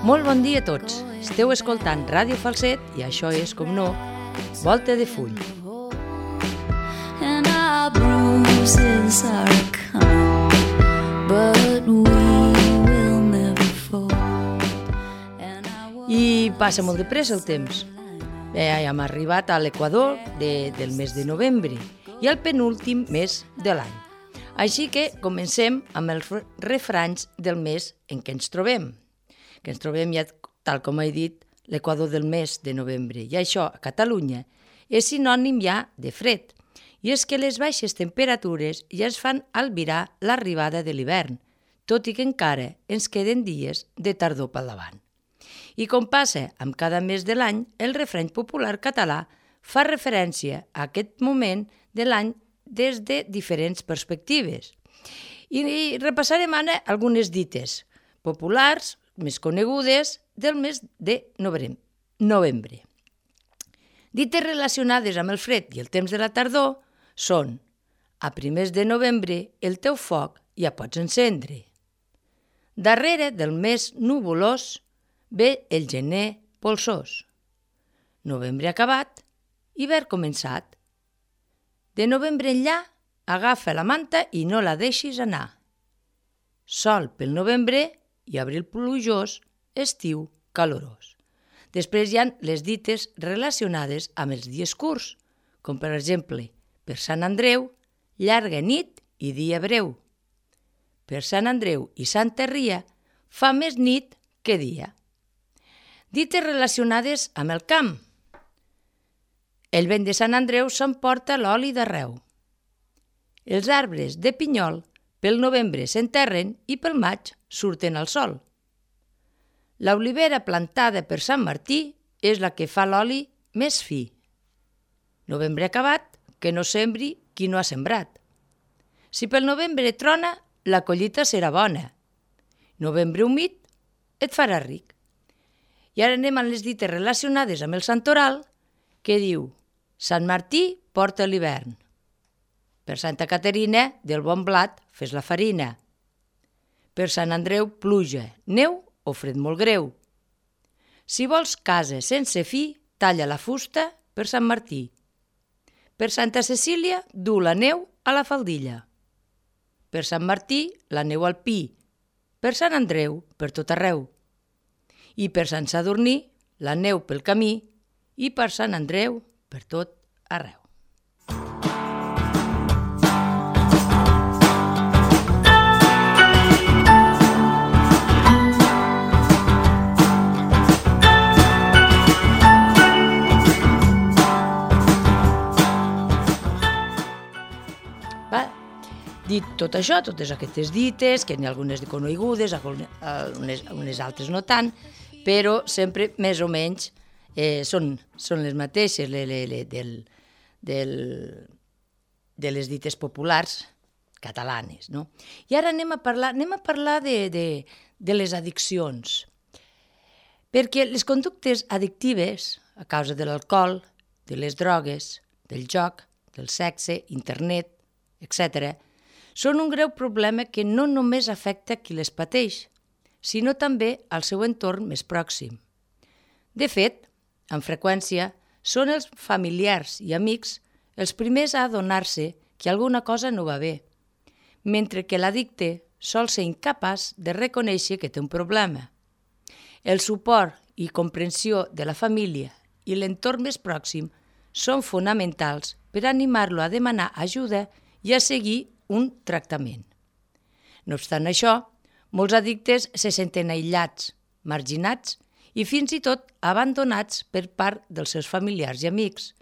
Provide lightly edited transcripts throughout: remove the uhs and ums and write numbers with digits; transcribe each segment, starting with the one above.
Molt bon dia a tots. Esteu escoltant Ràdio Falset i això és, com no, Volta de Full. And our bruises are coming, but we will never fall. I passa molt de pressa el temps. Ja hem arribat a l'equador del mes de novembre i al penúltim mes de l'any. Així que comencem amb els refranys del mes en què ens trobem. Que ens trobem ja, tal com he dit, l'equador del mes de novembre. I això, a Catalunya, és sinònim ja de fred. I és que les baixes temperatures ja es fan albirar l'arribada de l'hivern, tot i que encara ens queden dies de tardor pel davant. I com passa amb cada mes de l'any, el refrany popular català fa referència a aquest moment de l'any des de diferents perspectives. I repassarem ara algunes dites populars, més conegudes, del mes de novembre. Dites relacionades amb el fred i el temps de la tardor són: a primers de novembre el teu foc ja pots encendre. Darrere del mes nuvolós ve el gener polsós. Novembre acabat, hivern començat. De novembre enllà, agafa la manta i no la deixis anar. Sol pel novembre i abril plujós, estiu calorós. Després hi ha les dites relacionades amb els dies curts, com per exemple, per Sant Andreu, llarga nit i dia breu. Per Sant Andreu i Santa Ria fa més nit que dia. Dites relacionades amb el camp. El vent de Sant Andreu s'emporta l'oli d'arreu. Els arbres de pinyol pel novembre s'enterren i pel maig surten al sol. L'olivera plantada per Sant Martí és la que fa l'oli més fi. Novembre acabat, que no sembri qui no ha sembrat. Si pel novembre trona, la collita serà bona. Novembre humit et farà ric. I ara anem a les dites relacionades amb el santoral, que diu: Sant Martí porta l'hivern. Per Santa Caterina, del bon blat fes la farina. Per Sant Andreu, pluja, neu o fred molt greu. Si vols casa sense fi, talla la fusta per Sant Martí. Per Santa Cecília, du la neu a la faldilla. Per Sant Martí, la neu al pi. Per Sant Andreu, per tot arreu. I per Sant Sadurní, la neu pel camí. I per Sant Andreu, per tot arreu. Dit tot això, totes aquestes dites, que n'hi ha algunes conegudes, unes altres no tant, però sempre més o menys són les mateixes de les dites populars catalanes. No? I ara anem a parlar de les addiccions, perquè les conductes addictives, a causa de l'alcohol, de les drogues, del joc, del sexe, internet, etc., són un greu problema que no només afecta qui les pateix, sinó també al seu entorn més pròxim. De fet, amb freqüència, són els familiars i amics els primers a adonar-se que alguna cosa no va bé, mentre que l'addicte sol ser incapaç de reconèixer que té un problema. El suport i comprensió de la família i l'entorn més pròxim són fonamentals per animar-lo a demanar ajuda i a seguir un tractament. No obstant això, molts addictes se senten aïllats, marginats i fins i tot abandonats per part dels seus familiars i amics,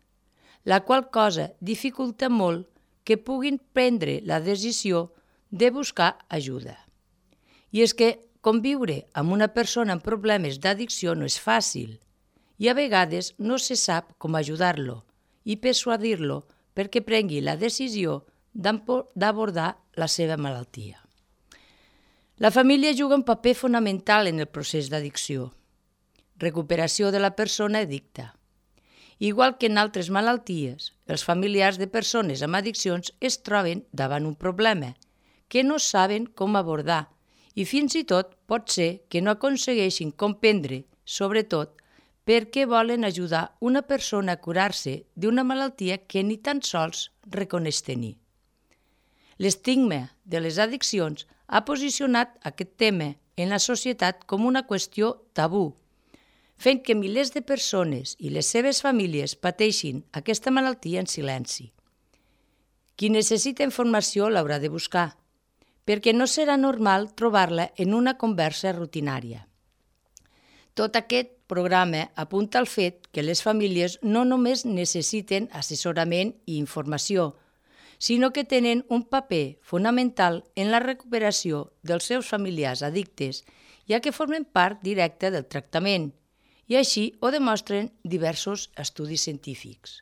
la qual cosa dificulta molt que puguin prendre la decisió de buscar ajuda. I és que conviure amb una persona amb problemes d'addicció no és fàcil i a vegades no se sap com ajudar-lo i persuadir-lo perquè prengui la decisió d'abordar la seva malaltia. La família juga un paper fonamental en el procés d'addicció, recuperació de la persona addicta. Igual que en altres malalties, els familiars de persones amb addiccions es troben davant un problema que no saben com abordar I fins i tot pot ser que no aconsegueixin comprendre, sobretot, per què volen ajudar una persona a curar-se d'una malaltia que ni tan sols reconeix tenir. L'estigma de les addiccions ha posicionat aquest tema en la societat com una qüestió tabú, fent que milers de persones i les seves famílies pateixin aquesta malaltia en silenci. Qui necessita informació l'haurà de buscar, perquè no serà normal trobar-la en una conversa rutinària. Tot aquest programa apunta al fet que les famílies no només necessiten assessorament i informació, sinó que tenen un paper fonamental en la recuperació dels seus familiars addictes, ja que formen part directa del tractament, i així ho demostren diversos estudis científics.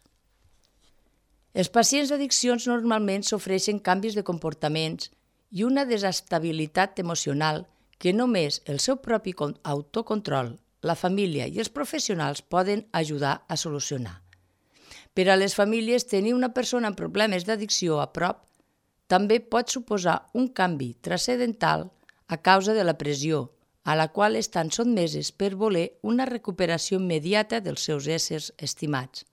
Els pacients d'addiccions normalment sofreixen canvis de comportaments i una desestabilitat emocional que només el seu propi autocontrol, la família i els professionals poden ajudar a solucionar. Per a les famílies, tenir una persona amb problemes d'addicció a prop també pot suposar un canvi transcendental a causa de la pressió, a la qual estan sotmeses per voler una recuperació immediata dels seus éssers estimats.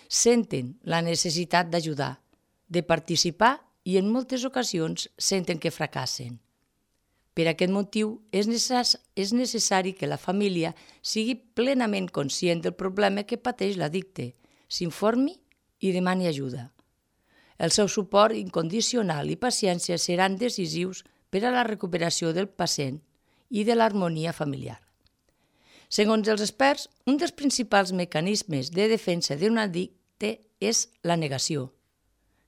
Senten la necessitat d'ajudar, de participar i en moltes ocasions senten que fracassen. Per aquest motiu, és necessari que la família sigui plenament conscient del problema que pateix l'addicte, s'informi i demani ajuda. El seu suport incondicional i paciència seran decisius per a la recuperació del pacient i de l'harmonia familiar. Segons els experts, un dels principals mecanismes de defensa d'un addicte és la negació,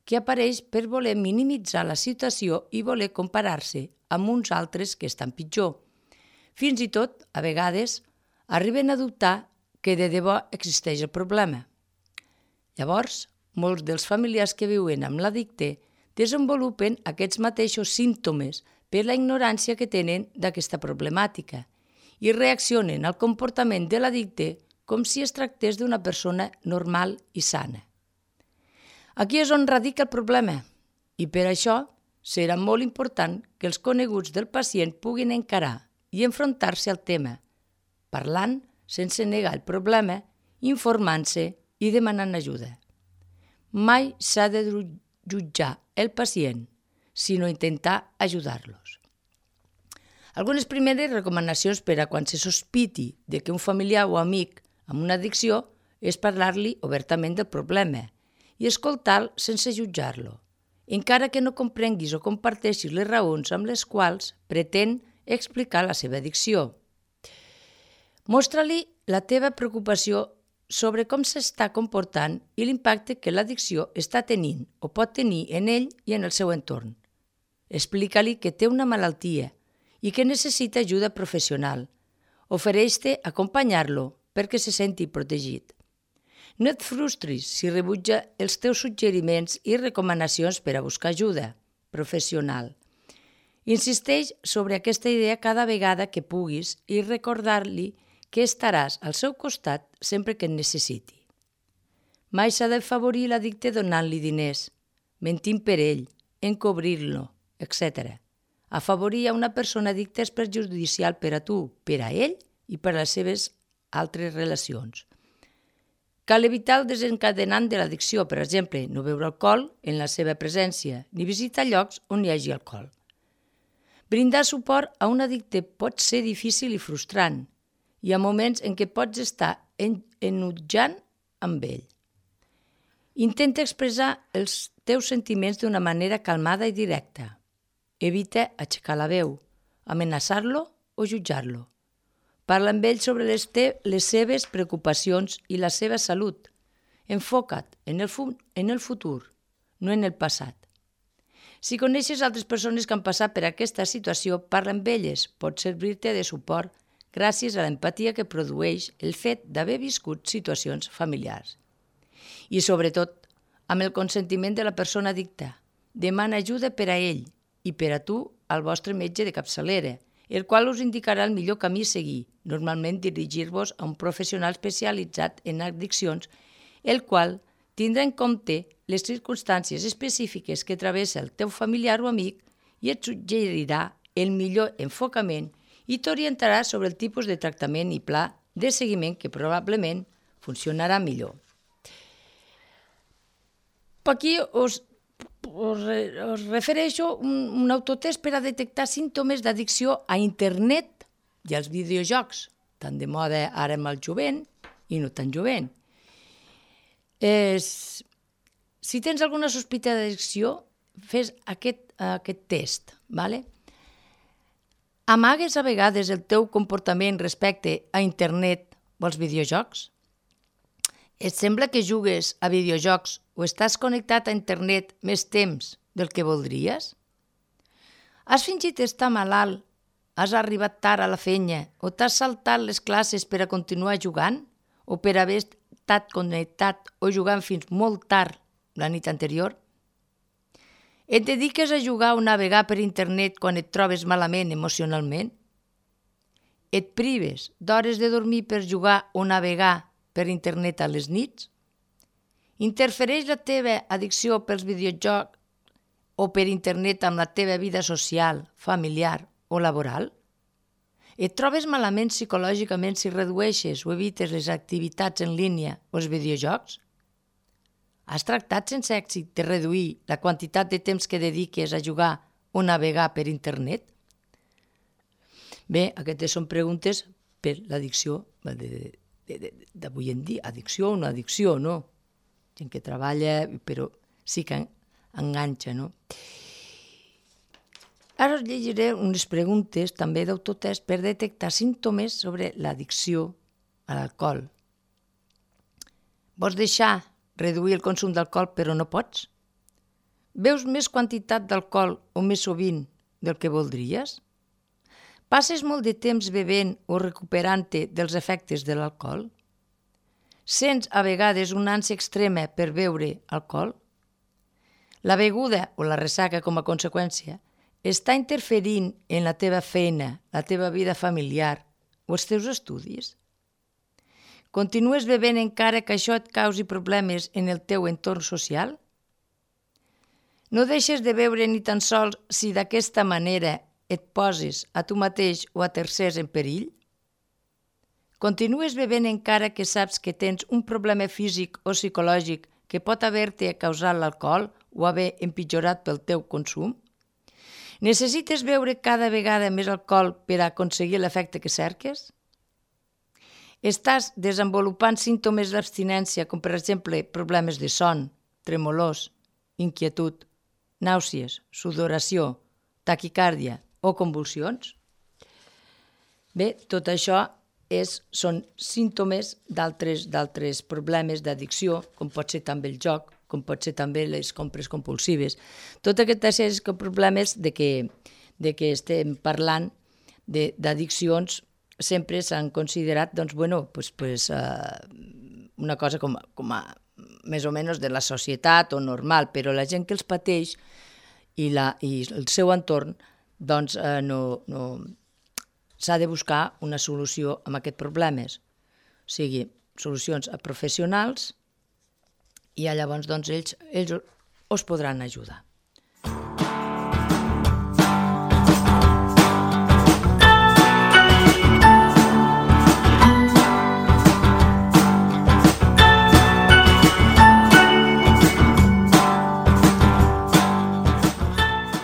que apareix per voler minimitzar la situació i voler comparar-se amb uns altres que estan pitjor. Fins i tot, a vegades, arriben a dubtar que de debò existeix el problema. Llavors, molts dels familiars que viuen amb l'addicte desenvolupen aquests mateixos símptomes per la ignorància que tenen d'aquesta problemàtica i reaccionen al comportament de l'addicte com si es tractés d'una persona normal i sana. Aquí és on radica el problema i per això serà molt important que els coneguts del pacient puguin encarar i enfrontar-se al tema, parlant sense negar el problema, informant-se i demanant ajuda. Mai s'ha de jutjar el pacient, sinó intentar ajudar-los. Algunes primeres recomanacions per a quan se sospiti de que un familiar o amic amb una addicció és parlar-li obertament del problema i escoltar-lo sense jutjar-lo, encara que no comprenguis o comparteixis les raons amb les quals pretén explicar la seva addicció. Mostra-li la teva preocupació sobre com s'està comportant i l'impacte que l'addicció està tenint o pot tenir en ell i en el seu entorn. Explica-li que té una malaltia i que necessita ajuda professional. Ofereix-te acompanyar-lo perquè se senti protegit. No et frustris si rebutja els teus suggeriments i recomanacions per a buscar ajuda professional. Insisteix sobre aquesta idea cada vegada que puguis i recordar-li que estaràs al seu costat sempre que et necessiti. Mai s'ha d'afavorir l'addicte donant-li diners, mentint per ell, encobrir-lo, etc. Afavorir a una persona addicta és perjudicial per a tu, per a ell i per a les seves altres relacions. Cal evitar el desencadenant de l'addicció, per exemple, no beure alcohol en la seva presència, ni visitar llocs on hi hagi alcohol. Brindar suport a un addicte pot ser difícil i frustrant. Hi ha moments en què pots estar enutjant amb ell. Intenta expressar els teus sentiments d'una manera calmada i directa. Evita aixecar la veu, amenaçar-lo o jutjar-lo. Parla amb ell sobre les seves preocupacions i la seva salut. Enfoca't en el futur, no en el passat. Si coneixes altres persones que han passat per aquesta situació, parla amb elles, pot servir-te de suport gràcies a l'empatia que produeix el fet d'haver viscut situacions familiars. I sobretot, amb el consentiment de la persona addicta, demana ajuda per a ell i per a tu al vostre metge de capçalera, el qual us indicarà el millor camí a seguir, normalment dirigir-vos a un professional especialitzat en addiccions, el qual tindrà en compte les circumstàncies específiques que travessa el teu familiar o amic i et suggerirà el millor enfocament i t'orientarà sobre el tipus de tractament i pla de seguiment que probablement funcionarà millor. Aquí us refereixo un autotest per a detectar símptomes d'addicció a internet i als videojocs, tan de moda ara amb el jovent i no tan jovent. Si tens alguna sospita d'addicció, fes aquest test, ¿vale? Amagues a vegades el teu comportament respecte a internet o als videojocs? Et sembla que jugues a videojocs o estàs connectat a internet més temps del que voldries? Has fingit estar malalt? Has arribat tard a la feina? O t'has saltat les classes per a continuar jugant? O per haver estat connectat o jugant fins molt tard la nit anterior? Et dediques a jugar o navegar per internet quan et trobes malament emocionalment? Et prives d'hores de dormir per jugar o navegar per internet a les nits? Interfereix la teva addicció pels videojocs o per internet amb la teva vida social, familiar o laboral? Et trobes malament psicològicament si redueixes o evites les activitats en línia o els videojocs? Has tractat sense èxit de reduir la quantitat de temps que dediques a jugar o navegar per internet? Bé, aquestes són preguntes per l'addicció d'avui en dia. Addicció o no addicció, no? Gent que treballa, però sí que enganxa, no? Ara us llegiré unes preguntes també d'autotest per detectar símptomes sobre l'addicció a l'alcohol. Vols reduir el consum d'alcohol però no pots? Beus més quantitat d'alcohol o més sovint del que voldries? Passes molt de temps bevent o recuperant-te dels efectes de l'alcohol? Sents a vegades una ànsia extrema per beure alcohol? La beguda o la ressaca com a conseqüència està interferint en la teva feina, la teva vida familiar o els teus estudis? Continues bevent encara que això et causi problemes en el teu entorn social? No deixes de beure ni tan sols si d'aquesta manera et poses a tu mateix o a tercers en perill? Continues bevent encara que saps que tens un problema físic o psicològic que pot haver-te causat l'alcohol o haver empitjorat pel teu consum? Necessites beure cada vegada més alcohol per a aconseguir l'efecte que cerques? Estàs desenvolupant símptomes d'abstinència com per exemple problemes de son, tremolors, inquietud, nàusees, sudoració, taquicàrdia o convulsions? Bé, tot això són símptomes d'altres problemes d'addicció, com pot ser també el joc, com pot ser també les compres compulsives. Tots aquests problemes de que estem parlant d'addiccions sempre s'han considerat una cosa com a més o menys de la societat o normal, però la gent que els pateix i el seu entorn s'ha de buscar una solució a aquests problemes, o sigui, solucions a professionals i llavors ells us podran ajudar.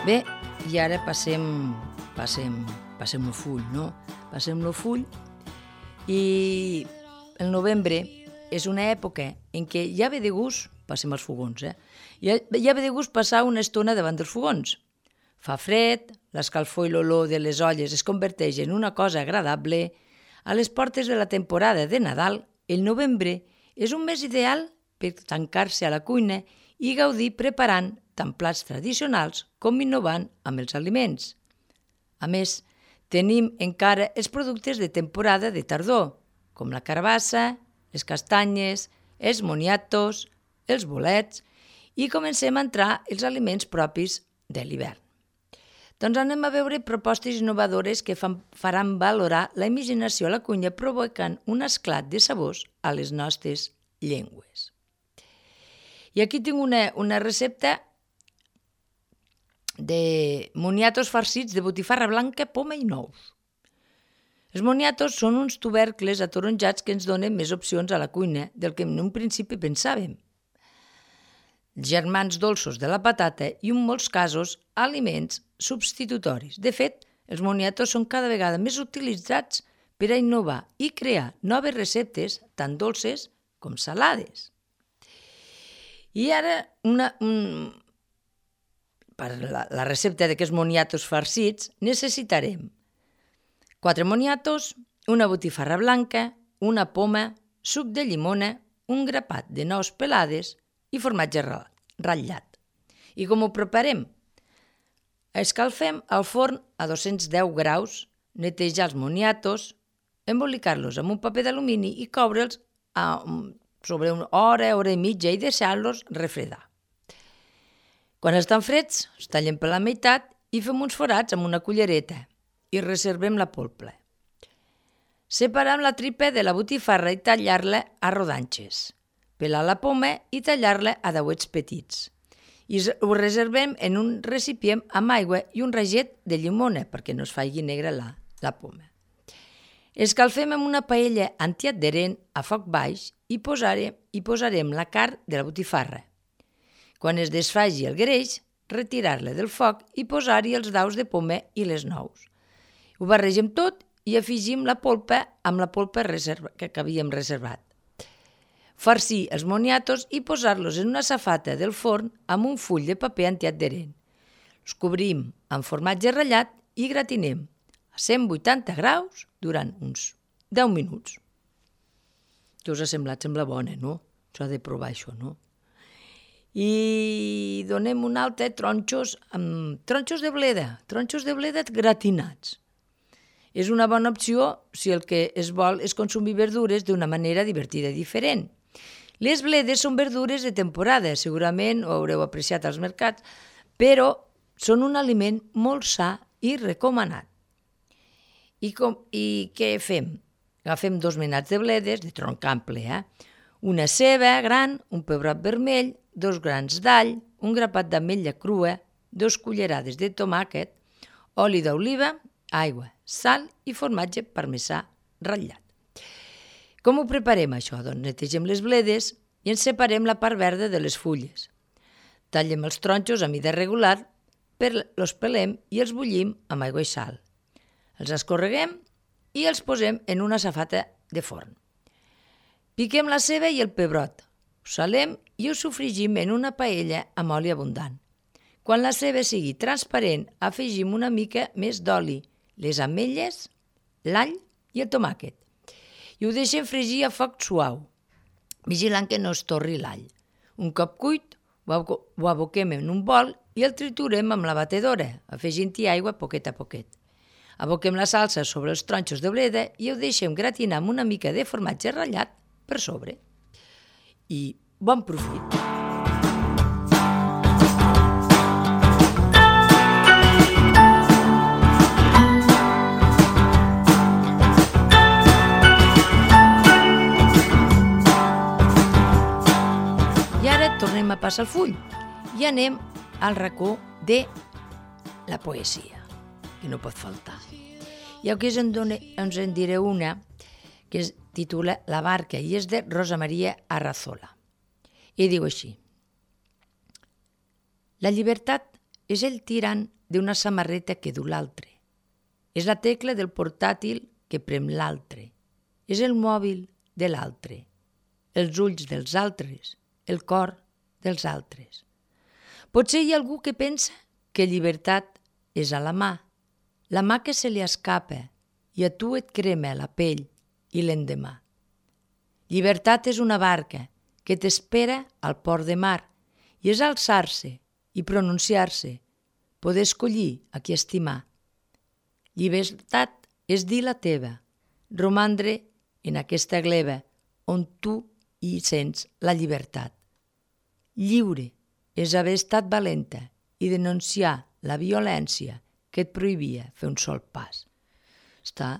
Bé, i ara passem el full, no? Passem el full i el novembre és una època en què ja ve de gust, passem als fogons, ja ve de gust passar una estona davant dels fogons. Fa fred, l'escalfor i l'olor de les olles es converteix en una cosa agradable. A les portes de la temporada de Nadal, el novembre és un mes ideal per tancar-se a la cuina i gaudir preparant tant plats tradicionals com innovant amb els aliments. A més, tenim encara els productes de temporada de tardor, com la carbassa, les castanyes, els moniatos, els bolets, i comencem a entrar els aliments propis de l'hivern. Doncs anem a veure propostes innovadores que faran valorar la imaginació a la cuina provocant un esclat de sabors a les nostres llengües. I aquí tinc una recepta de moniatos farcits de botifarra blanca, poma i nous. Els moniatos són uns tubercles ataronjats que ens donen més opcions a la cuina del que en un principi pensàvem. Germans dolços de la patata i en molts casos aliments substitutoris. De fet, els moniatos són cada vegada més utilitzats per a innovar i crear noves receptes tant dolces com salades. I ara, per la recepta d'aquests moniatos farcits, necessitarem 4 moniatos, una botifarra blanca, una poma, suc de llimona, un grapat de nous pelades i formatge ratllat. I com ho preparem? Escalfem al forn a 210 graus, netejar els moniatos, embolicar-los amb un paper d'alumini i coure'ls sobre una hora i mitja i deixar-los refredar. Quan estan freds, els tallem per la meitat i fem uns forats amb una cullereta i reservem la polpa. Separem la tripa de la botifarra i tallar-la a rodanxes. Pelar la poma i tallar-la a dauets petits. I ho reservem en un recipient amb aigua i un raget de llimona perquè no es faci negra la poma. Escalfem amb una paella antiadherent a foc baix i posarem la carn de la botifarra. Quan es desfaci el greix, retirar-la del foc i posar-hi els daus de poma i les nous. Ho barregem tot i afegim la polpa amb la polpa que havíem reservat. Farcir els moniatos i posar-los en una safata del forn amb un full de paper antiadherent. Els cobrim amb formatge ratllat i gratinem a 180 graus durant uns 10 minuts. Què us ha semblat? Sembla bona, no? S'ha de provar això, no? I donem un altre tronxos de bleda gratinats. És una bona opció si el que es vol és consumir verdures d'una manera divertida i diferent. Les bledes són verdures de temporada, segurament ho haureu apreciat als mercats, però són un aliment molt sa i recomanat. I què fem? Agafem 2 menats de bledes, de tronc ample, una ceba gran, un pebrot vermell, 2 grans d'all, un grapat d'ametlla crua, 2 cullerades de tomàquet, oli d'oliva, aigua, sal i formatge parmesà ratllat. Com ho preparem això? Doncs netegem les bledes i en separem la part verda de les fulles. Tallem els tronxos a mida regular, els pelem i els bullim amb aigua i sal. Els escorreguem i els posem en una safata de forn. Piquem la ceba i el pebrot, ho salem i ho sofregim en una paella amb oli abundant. Quan la ceba sigui transparent, afegim una mica més d'oli, les ametlles, l'all i el tomàquet. I ho deixem fregir a foc suau, vigilant que no es torri l'all. Un cop cuit, ho aboquem en un bol i el triturem amb la batedora, afegint-hi aigua poquet a poquet. Aboquem la salsa sobre els tronxos de bleda i ho deixem gratinar amb una mica de formatge ratllat per sobre. I bon profit! Tornem a passar el full i anem al racó de la poesia, que no pot faltar. I aquí ens en diré una que es titula La barca i és de Rosa Maria Arrazola. I diu així: La llibertat és el tirant d'una samarreta que du l'altre. És la tecla del portàtil que prem l'altre. És el mòbil de l'altre. Els ulls dels altres, el cor dels altres. Potser hi ha algú que pensa que llibertat és a la mà que se li escapa i a tu et crema la pell i l'endemà. Llibertat és una barca que t'espera al port de mar i és alçar-se i pronunciar-se, poder escollir a qui estimar. Llibertat és dir la teva, romandre en aquesta gleba on tu hi sents la llibertat. Lliure és haver estat valenta i denunciar la violència que et prohibia fer un sol pas. Està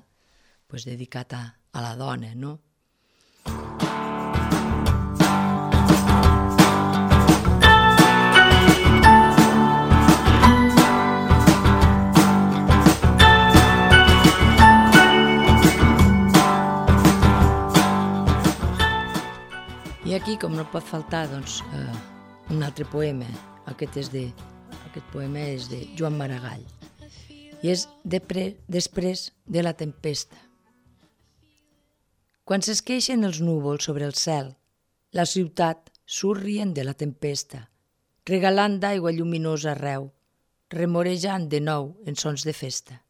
dedicat a la dona, no? aquí, com no pot faltar, doncs, un altre poema. Aquest poema és de Joan Maragall i és després de la tempesta. Quan s'esqueixen els núvols sobre el cel, la ciutat surt rient de la tempesta, regalant d'aigua lluminosa arreu, remorejant de nou en sons de festa.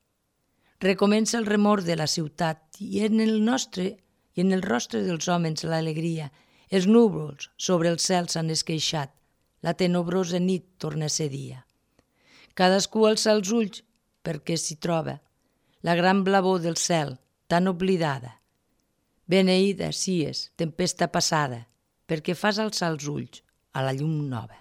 Recomença el remor de la ciutat i en el rostre dels homes l'alegria. Els núvols sobre el cel s'han esqueixat, la tenebrosa nit torna a ser dia. Cadascú alça els ulls perquè s'hi troba la gran blavor del cel, tan oblidada. Beneïda sies, tempesta passada, perquè fas alçar els ulls a la llum nova.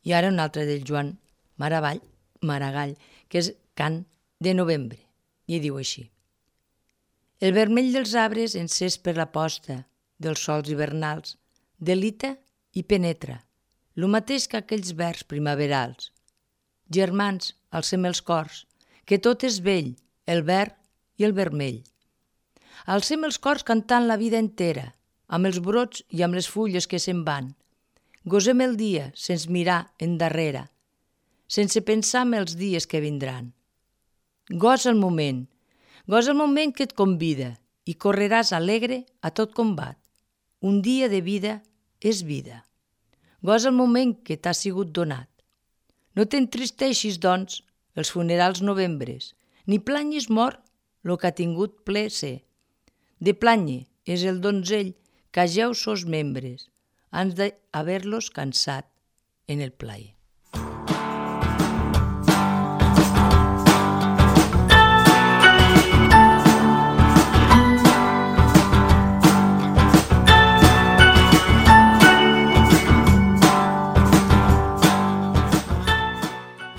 I ara un altre del Joan Maragall, que és Cant de novembre, i diu així. El vermell dels arbres encès per la posta dels sols hivernals delita i penetra, lo mateix que aquells vers primaverals. Germans, alcem els cors, que tot és vell, el verd i el vermell. Alcem els cors cantant la vida entera, amb els brots i amb les fulles que se'n van. Gosem el dia sense mirar endarrere, sense pensar en els dies que vindran. Gosa el moment que et convida i correràs alegre a tot combat. Un dia de vida és vida. Gosa el moment que t'ha sigut donat. No t'entristeixis, doncs, els funerals novembres, ni planyis mort lo que ha tingut ple ser. De planye és el donzell que ageu sos membres, ans d'haver-los cansat en el plaer.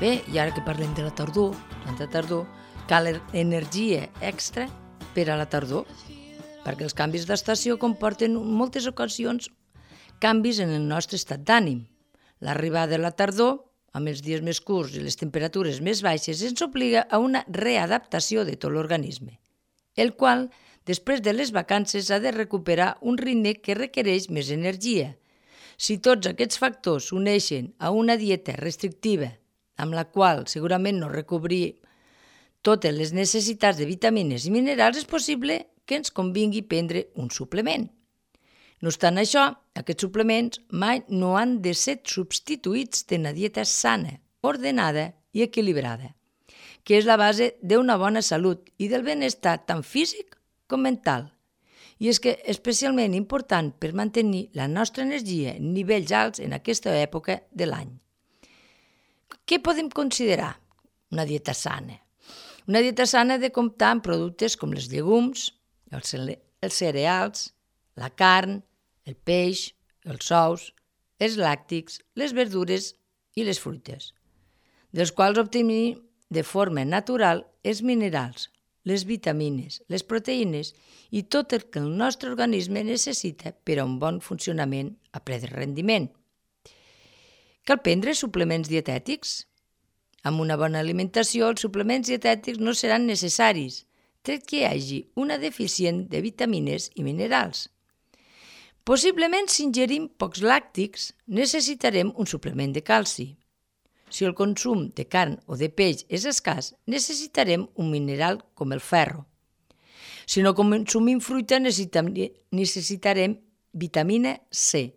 Bé, i ara que parlem de la tardor, tanta tardor, cal energia extra per a la tardor, perquè els canvis d'estació comporten en moltes ocasions canvis en el nostre estat d'ànim. L'arribada de la tardor, amb els dies més curts i les temperatures més baixes, ens obliga a una readaptació de tot l'organisme, el qual, després de les vacances, ha de recuperar un ritme que requereix més energia. Si tots aquests factors s'uneixen a una dieta restrictiva, amb la qual segurament no recobrir totes les necessitats de vitamines i minerals, és possible que ens convingui prendre un suplement. No obstant això, aquests suplements mai no han de ser substituïts d'una dieta sana, ordenada i equilibrada, que és la base d'una bona salut i del benestar tant físic com mental. I és que especialment important per mantenir la nostra energia en nivells alts en aquesta època de l'any. Què podem considerar una dieta sana? Una dieta sana ha de comptar amb productes com els llegums, els cereals, la carn, el peix, els ous, els làctics, les verdures i les fruites, dels quals obtenim de forma natural els minerals, les vitamines, les proteïnes i tot el que el nostre organisme necessita per a un bon funcionament a ple de rendiment. Cal prendre suplements dietètics? Amb una bona alimentació, els suplements dietètics no seran necessaris, tret que hi hagi una deficient de vitamines i minerals. Possiblement, si ingerim pocs làctics, necessitarem un suplement de calci. Si el consum de carn o de peix és escàs, necessitarem un mineral com el ferro. Si no consumim fruita, necessitarem vitamina C.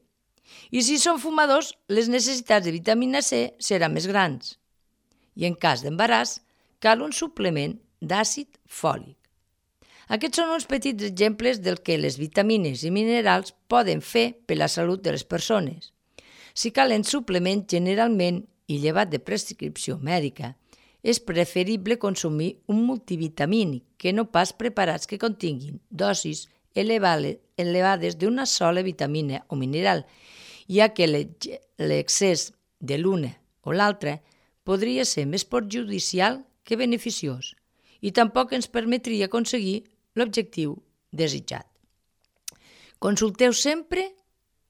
I si som fumadors, les necessitats de vitamina C seran més grans. I en cas d'embaràs, cal un suplement d'àcid fòlic. Aquests són uns petits exemples del que les vitamines i minerals poden fer per la salut de les persones. Si calen suplements, generalment, i llevat de prescripció mèdica, és preferible consumir un multivitamínic que no pas preparats que continguin dosis elevades d'una sola vitamina o mineral, ja que l'excés de l'una o l'altra podria ser més perjudicial que beneficiós i tampoc ens permetria aconseguir l'objectiu desitjat. Consulteu sempre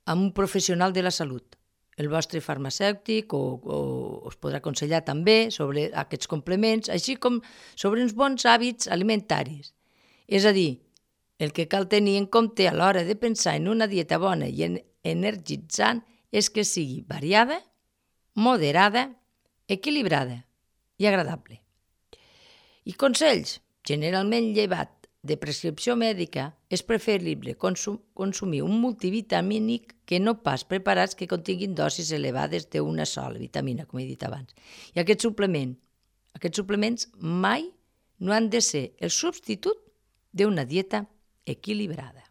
amb un professional de la salut. El vostre farmacèutic us podrà aconsellar també sobre aquests complements, així com sobre uns bons hàbits alimentaris. És a dir, El que cal tenir en compte a l'hora de pensar en una dieta bona i energitzant és que sigui variada, moderada, equilibrada i agradable. I consells. Generalment llevat de prescripció mèdica, és preferible consumir un multivitamínic que no pas preparats que continguin dosis elevades d'una sola vitamina, com he dit abans. I aquests suplements mai no han de ser el substitut d'una dieta equilibrada.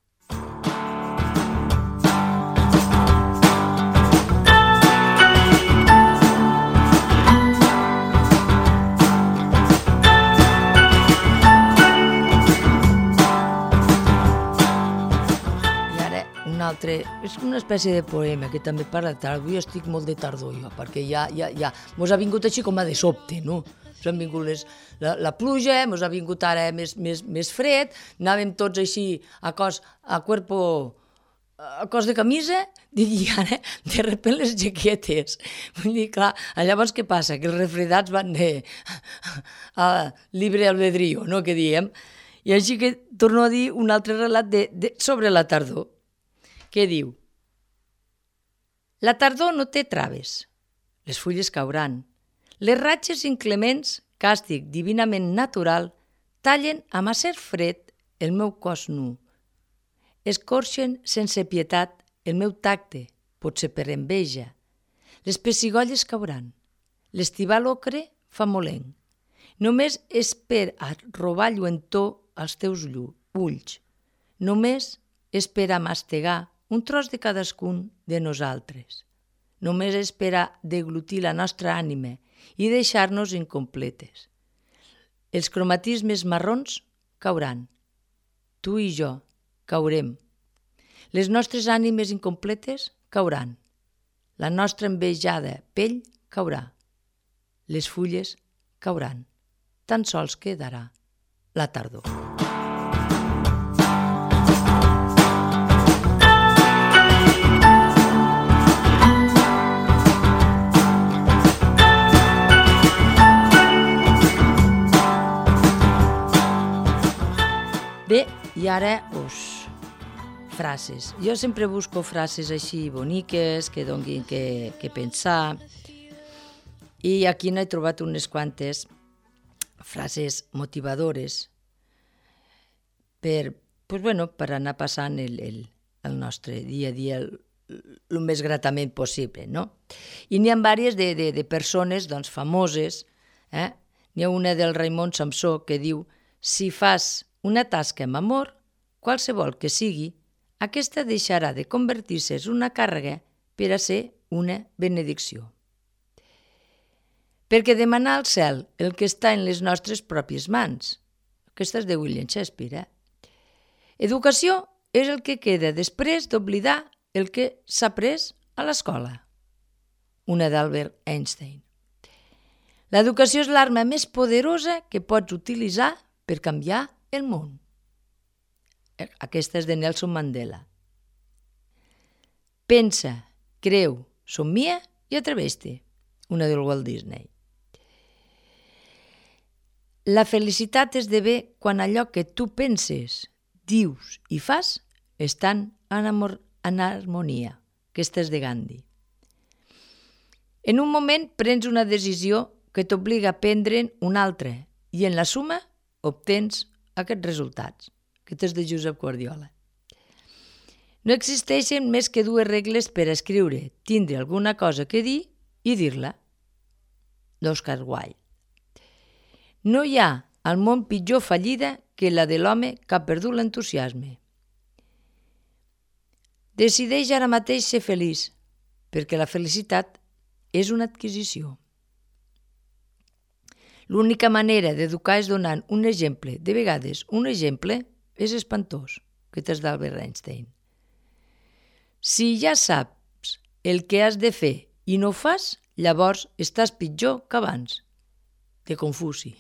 És una espècie de poema que també parla de tardor. Jo estic molt de tardor, jo, perquè ja mos ha vingut així com a de sobte, no? Mos han vingut la pluja, mos ha vingut ara més fred, anàvem tots així a cos de camisa, i ara, de repente, les jaquetes. Vull dir, clar, llavors què passa? Que els refredats van a libre albedrío, no?, que diem. I així que torno a dir un altre relat sobre la tardor, que diu: la tardor no té traves, les fulles cauran, les ratxes inclements, càstig divinament natural, tallen amb acer fred el meu cos nu, escorxen sense pietat el meu tacte, potser per enveja, les pessigolles cauran, l'estival ocre fa molenc, només és per a robar lluentor als teus ulls, només és per a mastegar un tros de cadascun de nosaltres. Només és per a deglutir la nostra ànima i deixar-nos incompletes. Els cromatismes marrons cauran. Tu i jo caurem. Les nostres ànimes incompletes cauran. La nostra envejada pell caurà. Les fulles cauran. Tan sols quedarà la tardor. Bé, i ara, frases. Jo sempre busco frases així boniques, que donin que pensar, i aquí n'he trobat unes quantes frases motivadores per anar passant el nostre dia a dia el més gratament possible, no? I n'hi ha diverses de persones famoses. N'hi ha una del Raimon Samsó que diu: si fas una tasca amb amor, qualsevol que sigui, aquesta deixarà de convertir-se en una càrrega per a ser una benedicció. Perquè demanar al cel el que està en les nostres pròpies mans. Aquesta és de William Shakespeare. Educació és el que queda després d'oblidar el que s'ha après a l'escola. Una d'Albert Einstein. L'educació és l'arma més poderosa que pots utilitzar per canviar el món. Aquesta és de Nelson Mandela. Pensa, creu, somnia i atreveix-te. Una del Walt Disney. La felicitat esdevé quan allò que tu penses, dius i fas estan en harmonia. Aquesta és de Gandhi. En un moment prens una decisió que t'obliga a prendre'n una altra i en la suma obtens aquests resultats. Aquest és de Josep Guardiola. No existeixen més que dues regles per escriure, tindre alguna cosa que dir i dir-la. D'Oscar Wilde. No hi ha al món pitjor fallida que la de l'home que ha perdut l'entusiasme. Decideix ara mateix ser feliç, perquè la felicitat és una adquisició. L'única manera d'educar és donant un exemple. De vegades, un exemple és espantós, que és d'Albert Einstein. Si ja saps el que has de fer i no ho fas, llavors estàs pitjor que abans. De Confuci.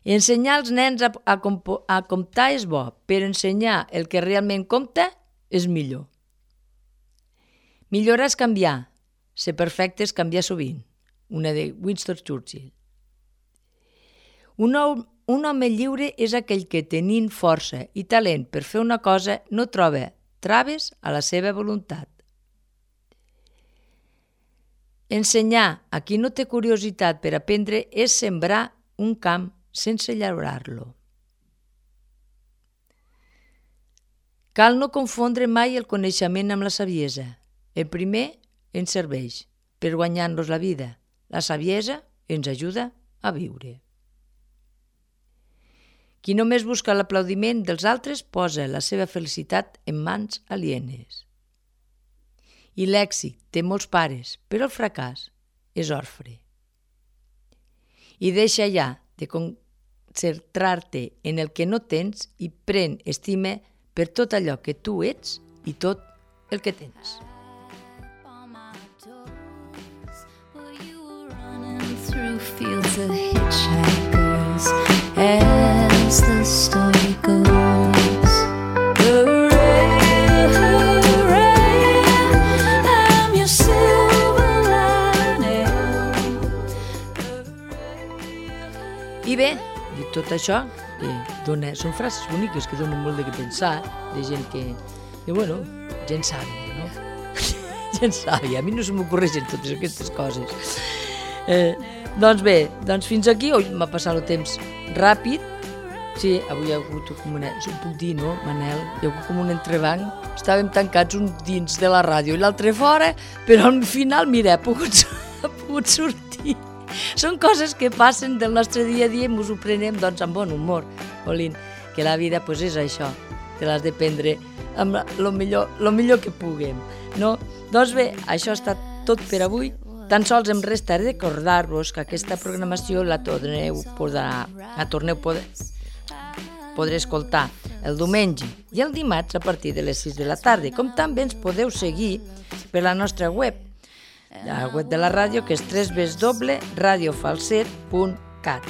Ensenyar als nens a comptar és bo, però ensenyar el que realment compta és millor. Millorar és canviar. Ser perfecte és canviar sovint. Una de Winston Churchill. Un un home lliure és aquell que, tenint força i talent per fer una cosa, no troba traves a la seva voluntat. Ensenyar a qui no té curiositat per aprendre és sembrar un camp sense llaurar-lo. Cal no confondre mai el coneixement amb la saviesa. El primer ens serveix per guanyar-nos la vida. La saviesa ens ajuda a viure. Qui només busca l'aplaudiment dels altres posa la seva felicitat en mans alienes. I l'èxit té molts pares, però el fracàs és orfe. I deixa ja de concentrar-te en el que no tens i pren estima per tot allò que tu ets i tot el que tens. Fields of hitchhikers as the story goes. Hooray, hooray, I'm your silver lining. I bé, dit tot això, són frases boniques que donen molt de què pensar, de gent que bueno, gent sàvia, no? Gent sàvia, a mi no se m'ocorreixen totes aquestes coses. Doncs bé, fins aquí, m'ha passat el temps ràpid. Sí, avui hi ha hagut com ho puc dir, no, Manel? Hi ha hagut com un entrebanc. Estàvem tancats un dins de la ràdio i l'altre fora, però al final, mira, ha pogut sortir. Són coses que passen del nostre dia a dia i ens ho prenem amb bon humor. Olin, que la vida és això, que l'has de prendre amb el millor que puguem, no? Doncs bé, això ha estat tot per avui. Tan sols em resta recordar-vos que aquesta programació la podré escoltar el diumenge i el dimarts a partir de les 6 de la tarda, com també ens podeu seguir per la nostra web, la web de la ràdio, que és www.radiofalset.cat.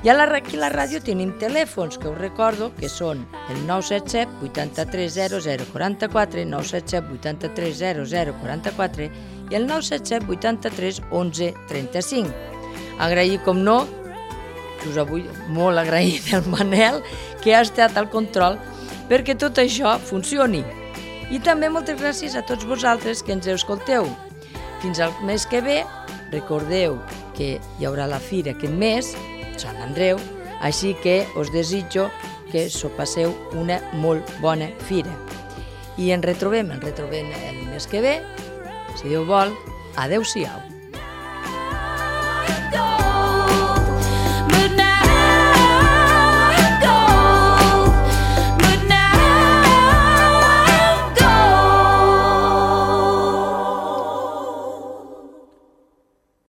I aquí a la ràdio tenim telèfons, que us recordo que són el 977 83 0044, 977 83 0044 i el 977 83 11 35. Agrair, com no, us vull molt agrair al Manel, que ha estat al control perquè tot això funcioni. I també moltes gràcies a tots vosaltres que ens escolteu. Fins al mes que ve, recordeu que hi haurà la fira aquest mes, Sant Andreu, així que us desitjo que s'ho passeu una molt bona fira. I ens retrobem el mes que ve, si Déu vol. Adéu-siau.